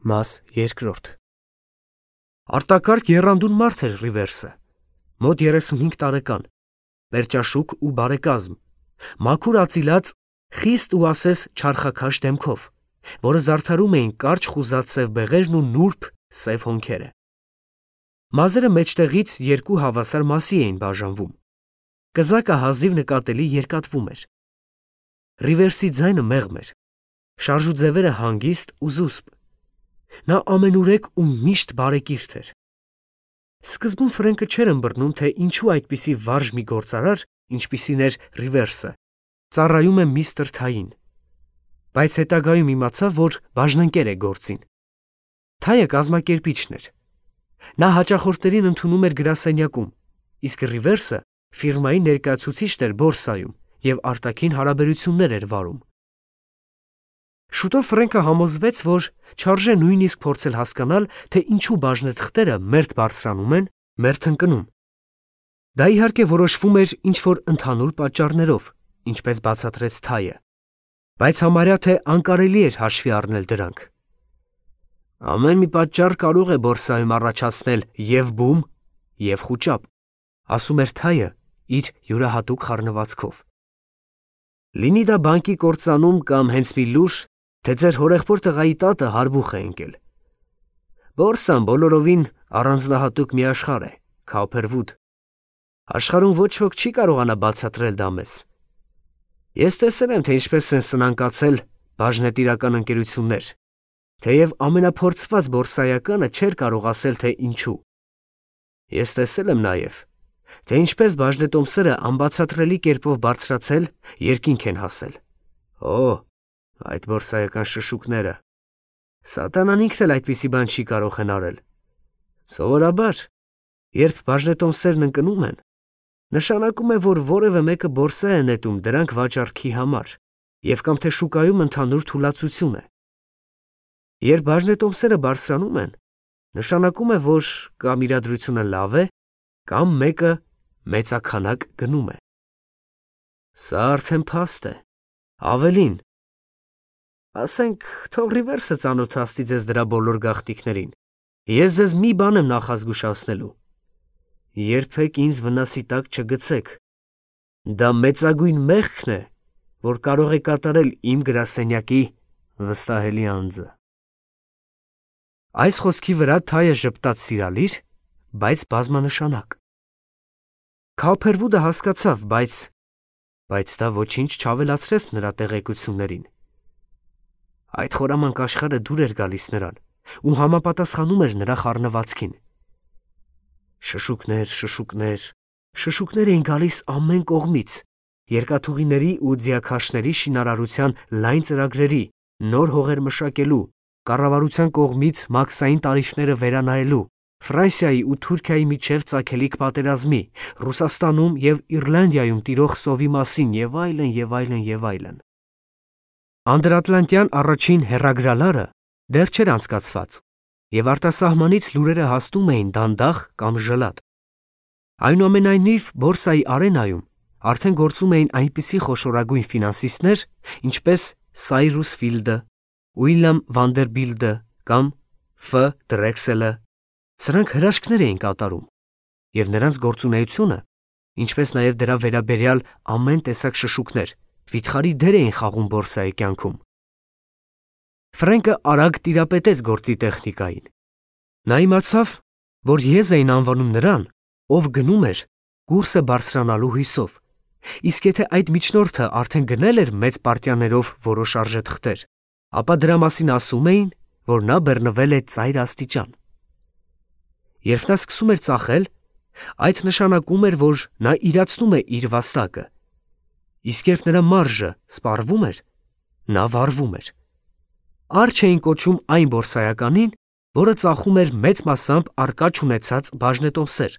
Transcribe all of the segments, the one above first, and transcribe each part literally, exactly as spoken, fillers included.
Մաս երկրորդ Արտակարգ եռանդուն մարդ էր Ռիվերսը, մոտ երեսունհինգ տարեկան, պերճաշուք ու բարեկազմ, մաքուր ածիլած, խիստ ու ասես չարխաքաշ դեմքով, որը զարդարում էին կարճ խուզած սև բեղերն ու նուրբ սև հոնքերը։ Մազերը մեջտեղից երկու հավասար մասի էին բաժանվում, կզակը հազիվ նկատելի երկատվում էր։ Ռիվերսի ձայնը մեղմ էր, շարժուձևերը հանգիստ ու զուսպ։ Նա ամենուրեք ու միշտ բարեկիրթ էր։ Սկզբում Ֆրենկը չէր ըմբռնում, թե ինչու այդպիսի վարժ մի գործարար, ինչպիսին էր Ռիվերսը, ծառայում է միստր Թային, բայց հետագայում իմացավ, որ բաժնընկեր է գործին։ Թայը կազմակերպիչն էր։ Նա հաճախորդներին ընդունում էր գրասենյակում, իսկ Ռիվերսը ֆիրմայի ներկայացուցիչն էր բորսայում և արտաքին հարաբերություններ էր վարում։ Շուտով Ֆրենկը համոզվեց, որ չարժե նույնիսկ փորձել հասկանալ, թե ինչու բաժնեթղթերը մերթ բարձրանում են, մերթ ընկնում։ Դա իհարկե որոշվում էր ինչ-որ ընդհանուր պատճառներով, ինչպես բացատրեց Թայը, բայց համարյա թե անկարելի էր հաշվի առնել դրանք։ Ամեն մի պատճառ կարող է բորսայում առաջացնել և բում, և խուճապ, ասում էր Թայը իր յուրահատուկ խառնվածքով։ Լինի դա բանկի կործանում կամ հենց մի լուր, թե ձեր հորեղբոր տղայի տատը հարբուխ է ընկել։ Բորսան բոլորովին առանձնահատուկ մի աշխարհ է, Քոփերվուդ։ Աշխարհում ոչ ոք չի կարողանա բացատրել դա մեզ։ Ես տեսել եմ, թե ինչպես են սնանկացել բաժնետիրական ընկերություններ, թեև ամենափորձված բորսայականը չէր կարող ասել, թե ինչու։ Ես տեսել եմ նաև, թե ինչպես բաժնետոմսերը անբացատրելի կերպով բարձրացել, երկինք են հասել։ Օ, այդ բորսայական շշուկները։ Սատանան ինքն էլ այդպիսի բան չի կարող հնարել։ Սովորաբար, երբ բաժնետոմսերն ընկնում են, նշանակում է, որ որևէ մեկը բորսա է նետում դրանք վաճառքի համար, և կամ թե շուկայում ընդհանուր թուլացություն է։ Երբ բաժնետոմսերը բարձրանում են, նշանակում է, որ կամ իրադրությունը լավ է, կամ մեկը մեծաքանակ գնում է։ Սա արդեն փաստ է, ավելին։ Ասենք, թող Ռիվերսը ծանոթացնի ձեզ դրա բոլոր գաղտնիքներին։ Ես ձեզ մի բան եմ նախազգուշացնելու. երբեք ինձ վնասի տակ չգցեք։ Դա մեծագույն մեղքն է, որ կարող է կատարել իմ գրասենյակի վստահելի անձը։ Այս խոսքի վրա Թայը ժպտաց սիրալիր, բայց բազմանշանակ։ Քոփերվուդը հասկացավ, բայց բայց դա ոչինչ չավելացրեց նրա տեղեկություններին։ Այդ խորամանկ աշխարհը դուր էր գալիս նրան ու համապատասխանում էր նրա խառնվածքին։ Շշուկներ, շշուկներ, շշուկներ էին գալիս ամեն կողմից, երկաթուղիների ու ձիաքաշների շինարարության լայն ծրագրերի, նոր հողեր մշակելու, կառավարության կողմից մաքսային տարիֆները վերանայելու, Ֆրանսիայի ու Թուրքիայի միջև ծագելիք պատերազմի, Ռուսաստանում և Իռլանդիայում տիրող սովի մասին և այլն, և այլն, և այլն։ Անդրատլանտյան առաջին հեռագրալարը դեռ չէր անցկացված, և արտասահմանից լուրերը հասնում էին դանդաղ կամ ժլատ։ Այնուամենայնիվ, բորսայի արենայում արդեն գործում էին այնպիսի խոշորագույն ֆինանսիստներ, ինչպես Սայրուս Ֆիլդը, Ուիլյամ Վանդերբիլտը կամ Ֆ. Դրեքսելը։ Սրանք հրաշքներ էին կատարում, և նրանց գործունեությունը, ինչպես նաև դրա վերաբերյալ ամեն տեսակ շշուկներ, վիթխարի դեր էին խաղում բորսայի կյանքում։ Ֆրենկը արագ տիրապետեց գործի տեխնիկային։ Նա իմացավ, որ եզ էին անվանում նրան, ով գնում էր կուրսը բարձրանալու հույսով, իսկ եթե այդ միջնորդը արդեն գնել էր մեծ պարտիաներով որոշ արժեթղթեր, ապա դրա մասին ասում էին, որ նա բռնվել է ծայր աստիճան։ Երբ նա սկսում էր ծախել, այդ նշանակում էր, որ նա իրացնում է իր վաստակը, իսկ երբ նրա մարժը սպառվում էր, նա վառվում էր։ Արջ էին կոչում այն բորսայականին, որը ծախում էր մեծ մասամբ առկա չունեցած բաժնետոմսեր,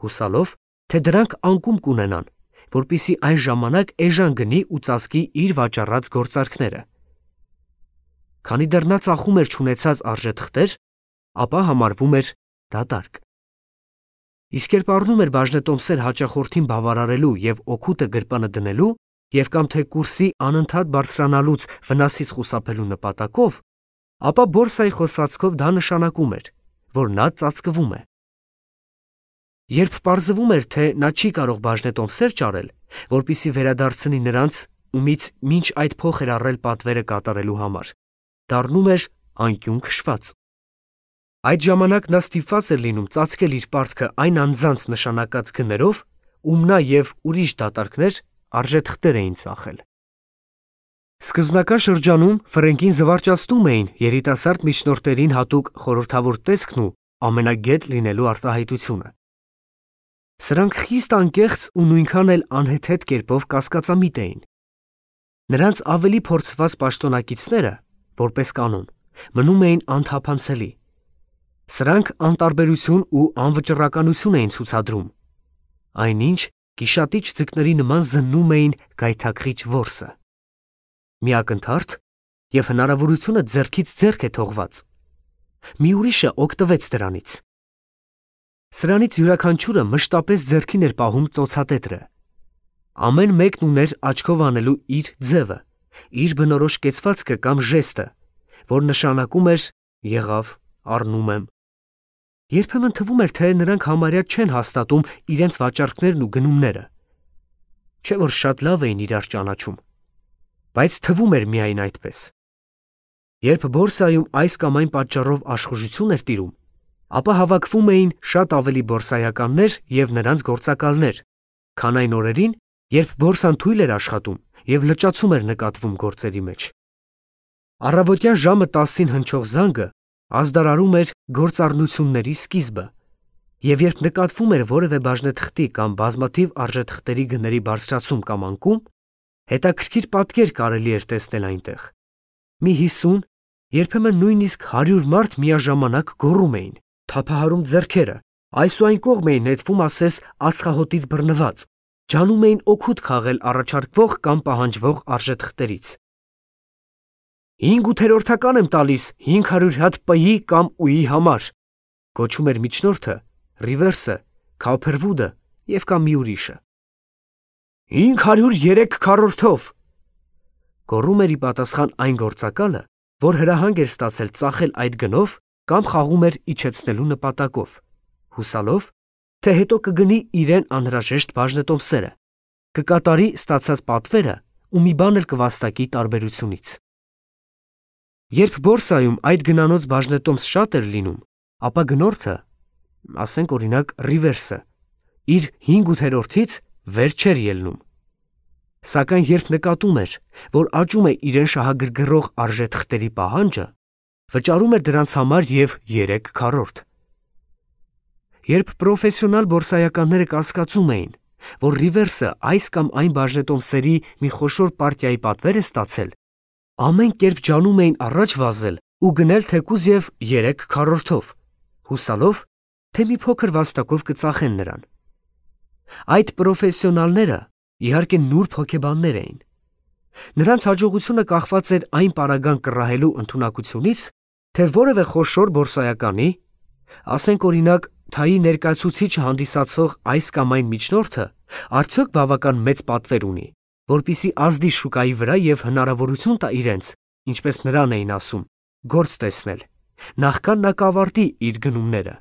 հուսալով, թե դրանք անկում կունենան, որպեսզի այն ժամանակ էժան գնի ու ծածկի իր վաճառած գործարքները։ Քանի դեռ նա ծախում էր չունեցած արժեթղթեր, ապա համարվում էր դատարկ։ Իսկ երբ առնում էր բաժնետոմսեր հաճախորդին բավարարելու և օգուտը գրպանը դնելու, և կամ թե կուրսի անընդհատ բարձրանալուց վնասից խուսափելու նպատակով, ապա բորսայի խոսվածքով դա նշանակում էր, որ նա ծածկվում է։ Երբ պարզվում էր, թե նա չի կարող բաժնետոմսեր ճարել, որպիսի վերադարձնի նրանց, ումից մինչ այդ փող էր առել պատվերը կատարելու համար, դառնում էր անկյուն քշված։ Այդ ժամանակ նա ստիպված էր լինում ծածկել իր պարտքը այն անձանց նշանակած գներով, ում նա և ուրիշ դատարկներ արժեթղթեր էին ծախել։ Սկզբնական շրջանում Ֆրենկին զվարճացնում էին երիտասարդ միջնորդներին հատուկ խորհրդավոր տեսքն ու ամենագետ լինելու արտահայտությունը։ Սրանք խիստ անկեղծ ու նույնքան էլ անհեթեթ կերպով կասկածամիտ էին։ Նրանց ավելի փորձված պաշտոնակիցները, որպես կանոն, մնում էին անթափանցելի։ Սրանք անտարբերություն ու անվճռականություն էին ցուցադրում, այնինչ գիշատիչ ձկների նման զննում էին գայթակղիչ որսը։ Միակնթարթ և հնարավորությունը ձեռքից ձեռք է թողված։ Մի ուրիշը օգտվեց դրանից։ Սրանից յուրաքանչյուրը մշտապես ձեռքին էր պահում ծոցատետրը։ Ամեն մեկն ուներ աչքով անելու իր ձևը, իր բնորոշ կեցվածքը կամ ժեստը, որ նշանակում էր եղավ, առնում եմ։ Երբեմն թվում էր, թե նրանք համարյա չեն հաստատում իրենց վաճառքներն ու գնումները։ Չէ՞ որ շատ լավ էին իրար ճանաչում, բայց թվում էր միայն այդպես։ Երբ բորսայում այս կամ այն պատճառով աշխուժություն էր տիրում, ապա հավաքվում էին շատ ավելի բորսայականներ և նրանց գործակալներ, քան այն օրերին, երբ բորսան թույլ էր աշխատում և լճացում էր նկատվում գործերի մեջ։ Առավոտյան ժամը տասին հնչող զանգը ազդարարում էր գործառնությունների սկիզբը, և երբ նկատվում էր որևէ բաժնեթղթի կամ բազմաթիվ արժեթղթերի գների բարձրացում կամ անկում, հետաքրքիր պատկեր կարելի էր տեսնել այնտեղ։ Մի հիսուն, երբեմն նույնիսկ հարյուր մարդ միաժամանակ գոռում էին, թափահարում ձեռքերը, այս ու այն կողմ էին նետվում ասես ածխահոտից բռնված, ջանում էին օգուտ քաղել առաջարկվող կամ պահանջվող արժեթղթերից։ «Հինգ ութերորդական եմ տալիս հինգ հարյուր հատ П-ի կամ Ու-ի համար», գոչում էր միջնորդը, Ռիվերսը, Քափերվուդը և կամ մի ուրիշը։ «Հինգ հարյուր երեք քառորդով», գոռում էր ի պատասխան այն գործակալը, որ հրահանգ էր ստացել ծախել այդ գնով կամ խաղում էր իջեցնելու նպատակով, հուսալով, թե հետո կգնի իրեն անհրաժեշտ բաժնետոմսերը, կկատարի ստացած պատվերը ու մի բան էլ կվաստակի տարբերությունից։ Երբ բորսայում այդ գնանոց բաժնետոմս շատ էր լինում, ապա գնորդը, ասենք օրինակ Ռիվերսը, իր հինգ ութերորդից վեր չէր ելնում։ Սակայն երբ նկատում էր, որ աճում է իրեն շահագրգռող արժեթղթերի պահանջը, վճարում էր դրանց համար և երեք քառորդ։ Երբ պրոֆեսիոնալ բորսայականները կասկածում էին, որ Ռիվերսը այս կամ այն բաժնետոմսերի մի խոշոր պարտիայի պատվեր է ստացել, ամեն կերպ ջանում էին առաջ վազել ու գնել թեկուզ և երեք քառորդով, հուսալով, թե մի փոքր վաստակով կծախեն նրան։ Այդ պրոֆեսիոնալները իհարկե նուրբ հոգեբաններ էին։ Նրանց հաջողությունը կախված էր այն պարագան կռահելու ընդունակությունից, թե որևէ խոշոր բորսայականի, ասենք օրինակ թայի ներկայացուցիչը հանդիսացող այս կամ այն միջնորդը, արդյոք բավական մեծ պատվեր ունի, որպեսզի ազդի շուկայի վրա և հնարավորություն տա իրենց, ինչպես նրան էին ասում, գործ տեսնել, նախքան նա կավարտի իր գնումները։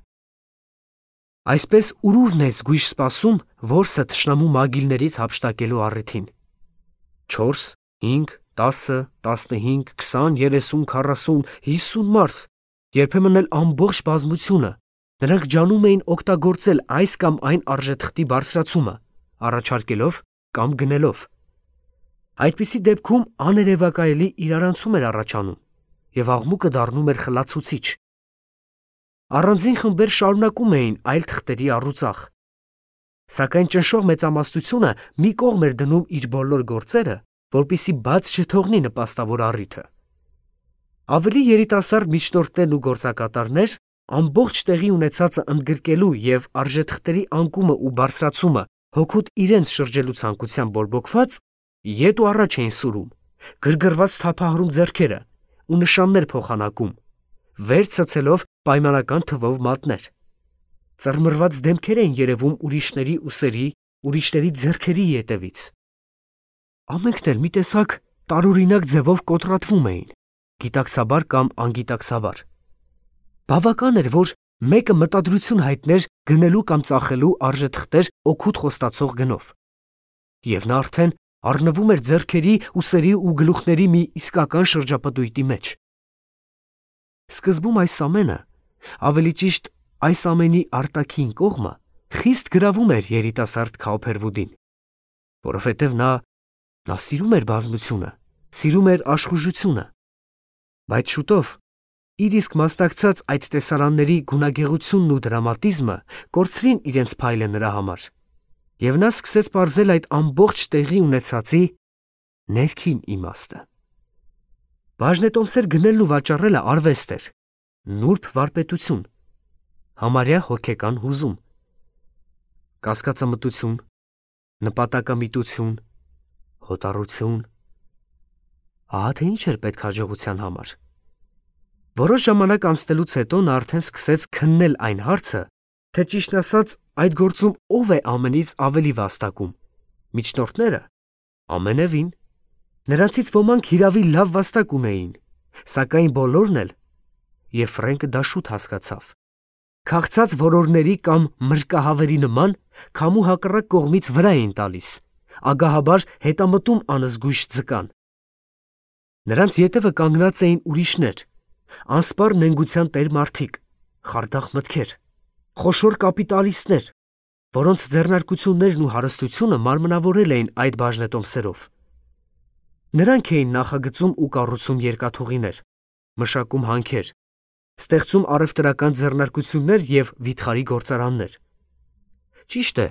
Այսպես ուրուրն է զգույշ սպասում որսը թշնամու մագիլներից հափշտակելու առիթին։ Չորս, հինգ, տասը, տասնհինգ, քսան, երեսուն, քառասուն, հիսուն մարդ, երբեմն էլ ամբողջ բազմությունը, նրանք ջանում էին օգտագործել այս կամ այն արժեթղթի բարձրացումը, առաջարկելով կամ գնելով։ Այդպիսի դեպքում աներևակայելի իրարանցում էր առաջանում, և աղմուկը դառնում էր խլացուցիչ։ Առանձին խմբեր շարունակում էին այլ թղթերի առուծախ։ Սակայն ճնշող մեծամասնությունը մի կողմ էր դնում իր բոլոր գործերը, որպեսզի բաց չթողնի նպաստավոր առիթը։ Ավելի երիտասարդ միջնորդներն ու գործակատարներ ամբողջ տեղի ունեցածը ընդգրկելու և արժեթղթերի անկումը ու բարձրացումը հօգուտ իրենց շրջելու ցանկությամբ բորբոքված, ետ ու առաջ էին սուրում, գրգռված թափահարում ձեռքերը ու նշաններ փոխանակում, վեր ցցելով պայմանական թվով մատներ։ Ծռմռված դեմքեր էին երևում ուրիշների ուսերի, ուրիշների ձեռքերի ետևից։ Ամենքն էլ մի տեսակ տարօրինակ ձևով կոտրատվում էին, գիտակցաբար կամ անգիտակցաբար։ Բավական էր, որ մեկը մտադրություն հայտներ գնելու կամ ծախելու արժեթղթեր օգուտ խոստացող գնով։ Եվ նա արդեն առնվում էր ձեռքերի, ուսերի ու գլուխների մի իսկական շրջապտույտի մեջ։ Սկզբում այս ամենը, ավելի ճիշտ այս ամենի արտաքին կողմը, խիստ գրավում էր երիտասարդ Քաուփերվուդին, որովհետև նա նա սիրում էր բազմությունը, սիրում էր աշխուժությունը, բայց շուտով իր իսկ մասնակցած այդ տեսարանների գունագեղությունն ու դրամատիզմը կորցրին իրենց փայլը նրա համար, և նա սկսեց պարզել այդ ամբողջ տեղի ունեցածի ներքին իմաստը։ Բաժնետոմսեր գնելն ու վաճառելը արվեստ էր, նուրբ վարպետություն, համարյա հոգեկան հուզում, կասկածամտություն, նպատակամիտություն, հոտառություն։ Ահա թե ինչ էր պետք հաջողության համար։ Որոշ ժամանակ անցնելուց հետո նա արդեն սկսեց քննել այն հարցը, թե ճիշտն ասած այդ գործում ով է ամենից ավելի վաստակում՝ միջնորդները, ամենևին։ Նրանցից ոմանք հիրավի լավ վաստակ ունեին, սակայն բոլորն էլ, և Ֆրենկը դա շուտ հասկացավ, քաղցած որորների կամ մրրկահավերի նման քամու հակառակ կողմից վրա էին տալիս, ագահաբար հետամտում անզգույշ ձկան։ Նրանց ետևը կանգնած էին ուրիշներ, անսպառ նենգության տեր մարդիկ, խարդախ մտքեր, խոշոր կապիտալիստներ, որոնց ձեռնարկություններն ու հարստությունը մարմնավորել էին այդ բաժնետոմսերով։ Նրանք էին նախագծում ու կառուցում երկաթուղիներ, մշակում հանքեր, ստեղծում առևտրական ձեռնարկություններ և վիթխարի գործարաններ։ Ճիշտ է,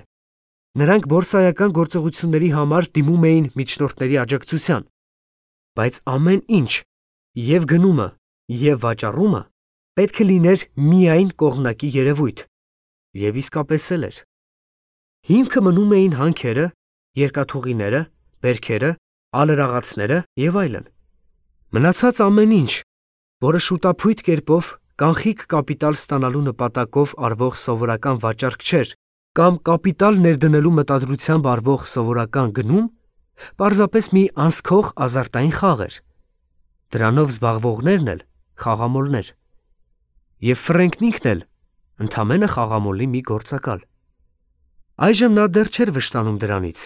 նրանք բորսայական գործողությունների համար դիմում էին միջնորդների աջակցության, բայց ամեն ինչ, և գնումը, և վաճառումը պետք է լիներ միայն կողմնակի երևույթ, և իսկապես էլ էր։ Հիմքը մնում էին հանքերը, երկաթուղիները, բերքերը, ալրաղացները և այլն։ Մնացած ամեն ինչ, որը շուտափույթ կերպով կանխիկ կապիտալ ստանալու նպատակով արվող սովորական վաճառք չէր կամ կապիտալ ներդնելու մտադրությամբ արվող սովորական գնում, պարզապես մի անսքող ազարտային խաղ էր։ Դրանով զբաղվողներն էլ խաղամոլներ։ Եվ Ֆրենկն ինքն էլ ընդամենը խաղամոլի մի գործակալ։ Այժմ նա դեռ չէր վշտանում դրանից,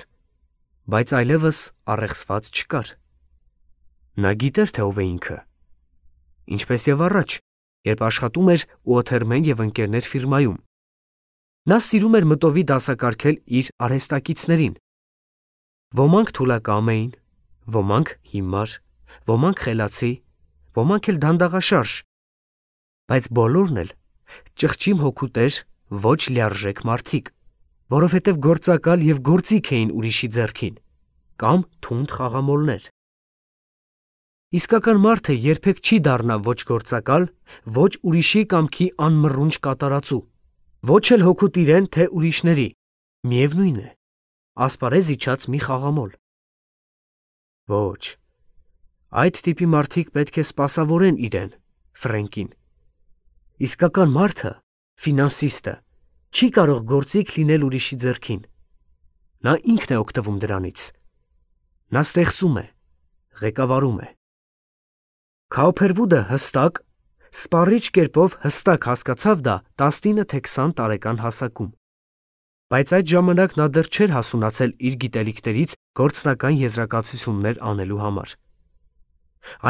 բայց այլևս առեղծված չկար։ Նա գիտեր, թե ով է ինքը, ինչպես և առաջ, երբ աշխատում էր Ուոթերմեն և ընկերներ ֆիրմայում։ Նա սիրում էր մտովի դասակարգել իր արհեստակիցներին։ Ոմանք թուլակամ էին, ոմանք հիմար, ոմանք խելացի, ոմանք էլ դանդաղաշարժ, բայց բոլորն էլ ճղճիմ հոգուտեր, ոչ լիարժեք մարդիկ, որովհետև գործակալ և գործիք էին ուրիշի ձեռքին, կամ թունդ խաղամոլներ։ Իսկական մարդը երբեք չի դառնա ոչ գործակալ, ոչ ուրիշի կամքի անմռունչ կատարածու, ոչ էլ հօգուտ իրեն, թե ուրիշների, միևնույն է, ասպարեզ իջած մի խաղամոլ։ Ոչ, այդ տիպի մարդիկ պետք է սպասավորեն իրեն, Ֆրենկին։ Իսկական մարդը, ֆինանսիստը, չի կարող գործիք լինել ուրիշի ձեռքին։ Նա ինքն է օգտվում դրանից։ Նա ստեղծում է, ղեկավարում է։ Քաուփերվուդը հստակ, սպառիչ կերպով հստակ հասկացավ դա տասնինը թե քսան տարեկան հասակում, բայց այդ ժամանակ նա դեռ չէր հասունացել իր գիտելիքներից գործնական եզրակացություններ անելու համար։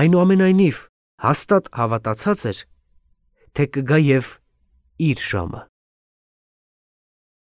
Այնուամենայնիվ, հաստատ հավատացած էր, թե կգա և իր ժամը։